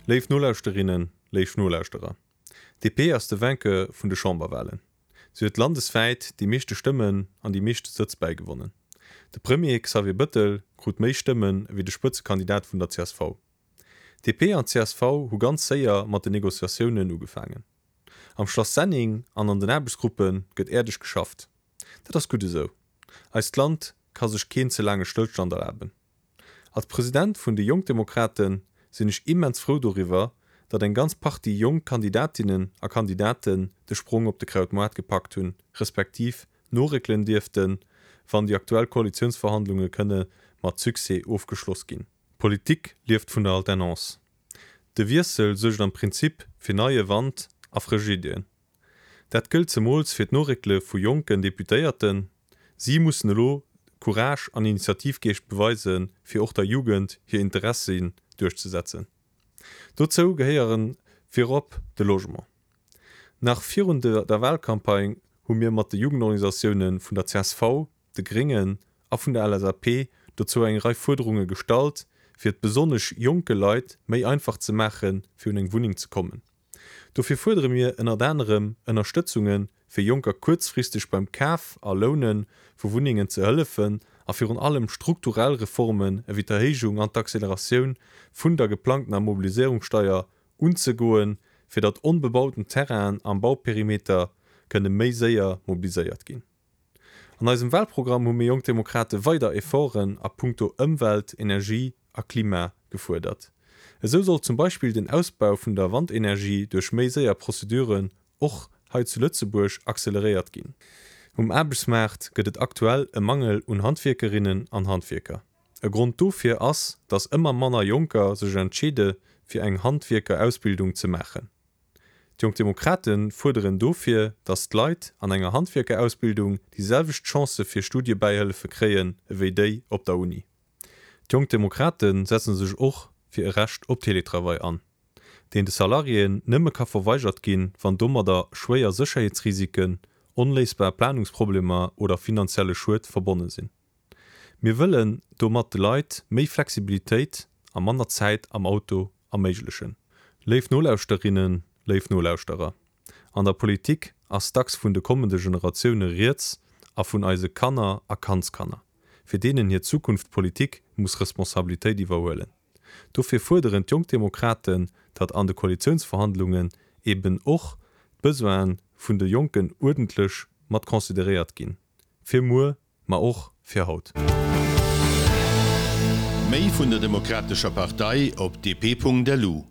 Léif Nolauschterinnen, léif Nolauschterer, DP ass de Vainqueur vun de Chamberwahlen. Si huet landeswäit déi meeschte Stëmmen an déi meeschte Sëtz bäigewonnen. De Premier Xavier Bëttel krut méi Stëmmen ewéi de Spëtzekandidat vun der csv. DP an csv hu ganz séier mat den Negociatiounen ugefaangen. Am Schlass Senneng an an den Aarbechtsgruppe gëtt äerdeg geschafft. Dat ass gutt esou. Eist Land ka sech keen ze laange Stëllstand erlaben. Als President vun de Jonkdemokrate sinn ech immens frou doriwwer, datt eng ganz Partie jonk Kandidatinnen a Kandidaten de Sprong op de Krautmoart gepackt hunn, respektiv noréckelen dierften, wann déi aktuell Koalitiounsverhandlunge kënne mat Succès ofgeschloss ginn. Politik lieft vun der Alternance. De Wiessel suergt am Prinzip fir neie Wand a frësch Iddien. Dat gëllt zemools fir d'Noréckele vu jonken Deputéierten. Si mussen elo Courage an Initiativgeescht beweisen, fir och der Jugend hir Interessien duerchzesetzen. Dozou gehéiere virop de Logement. Nach virun der Wahlcampagne hu mir mat de Jugendorganisatioune vun der csv, de Gréngen a vun der LSAP dozou eng Rei Fuerderunge gestallt, fir et besonnesch jonke Leit méi einfach ze maachen, fir un eng Wunneng ze kommen. Dofir fuerdere mir ënnert anerem Ënnerstëtzunge fir Jonker kuerzfristeg beim Kaf a Loune vu Wunnengen ze hëllefen a virun allem strukturell Reformen ewéi d'Erhéijung an d'Acceleratioun vun der geplangtener Mobiliséierungssteier unzegoen, fir datt onbebauten Terrainen am Bauperimeter kënne méi séier mobiliséiert ginn. An eisem Wahlprogramm hu mir Jonk Demokrate weider Efforten a punkto Ëmwelt, Energie a Klima gefuerdert. Esou soll zum Beispill den Ausbau vun der Wandenergie duerch méi séier Prozeduren och hei zu Lëtzebuerg acceleréiert ginn. Um Aarbechtsmaart gëtt et aktuell e Mangel un Handwierkerinnen an Handwierker. E Grond dofir ass, datt ëmmer manner Jonker sech entscheede fir eng Handwierkerausbildung ze maachen. D'Jonk Demokrate fuerderen dofir, datt d'Leit an enger Handwierkerausbildung déi selwecht Chancë fir Studiebäihëllefe kréien ewéi déi op der Uni. D'Jonk Demokrate setze sech och fir e Recht op Teletravail an, deen de Salariéen nëmme ka verweigert ginn, wann domadder schwéier Sécherheetsrisiken, onléisbar Planungsproblemer oder finanzielle Schued verbonne sinn. Mir wëllen domat de Leit méi Flexibilitéit a manner Zäit am Auto erméiglechen. Léif Nolauschterinnen, léif Nolauschterer, an der Politik ass dacks vun de kommende Generatioune rieds a vun eise Kanner a Kandskanner, fir deenen hir Zukunft d'Politik muss Responsabilitéit iwwerhuelen. Dofir fuerderen d'Jonk Demokraten, datt an de Koalitiounsverhandlungen eben och d'Besoine vun de Jonken uerdentlech mat consideréiert ginn, fir muer Ma och fir haut. Méi vun der Demokratescher Partei op dp.lu.